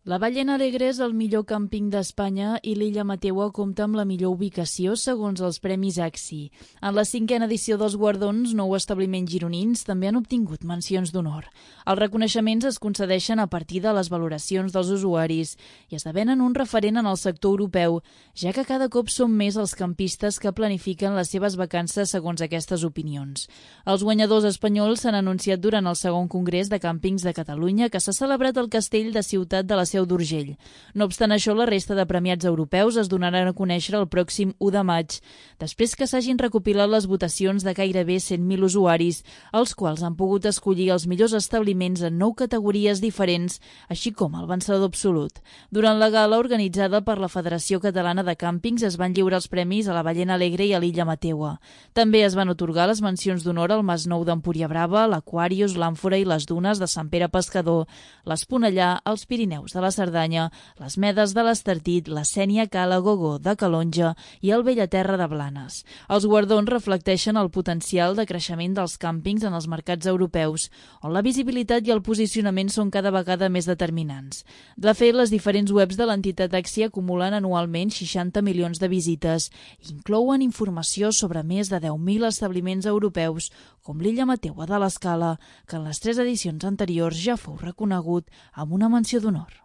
La Ballena Alegre és el millor càmping d'Espanya i l'Illa Mateua compta amb la millor ubicació segons els Premis AXI. En la 5a edició dels guardons, 9 establiments gironins també han obtingut mencions d'honor. Els reconeixements es concedeixen a partir de les valoracions dels usuaris i esdevenen un referent en el sector europeu, ja que cada cop són més els campistes que planifiquen les seves vacances segons aquestes opinions. Els guanyadors espanyols s'han anunciat durant el segon congrés de càmpings de Catalunya que s'ha celebrat al Castell de Ciutat de la Seu d'Urgell. No obstant això, la resta de premiats europeus es donaran a conèixer el pròxim 1 de maig, després que s'hagin recopilat les votacions de gairebé 100.000 usuaris, els quals han pogut escollir els millors establiments en 9 categories diferents, així com el vencedor absolut. Durant la gala organitzada per la Federació Catalana de Càmpings es van lliurar els premis a la Ballena Alegre i a l'Illa Mateua. També es van atorgar les mencions d'honor al Mas Nou d'Empúria Brava, l'Aquarius, l'Àmfora i les Dunes de Sant Pere Pescador, l'Esponellà, els Pirineus de la Cerdanya, les Medes de l'Estartit, la Sénia Cala Gogó de Calonja i el Bellaterra de Blanes. Els guardons reflecteixen el potencial de creixement dels càmpings en els mercats europeus, on la visibilitat i el posicionament són cada vegada més determinants. De fet, les diferents webs de l'entitat AXI acumulen anualment 60 milions de visites i inclouen informació sobre més de 10.000 establiments europeus, com l'Illa Mateua de l'Escala, que en les 3 edicions anteriors ja fou reconegut amb una menció d'honor.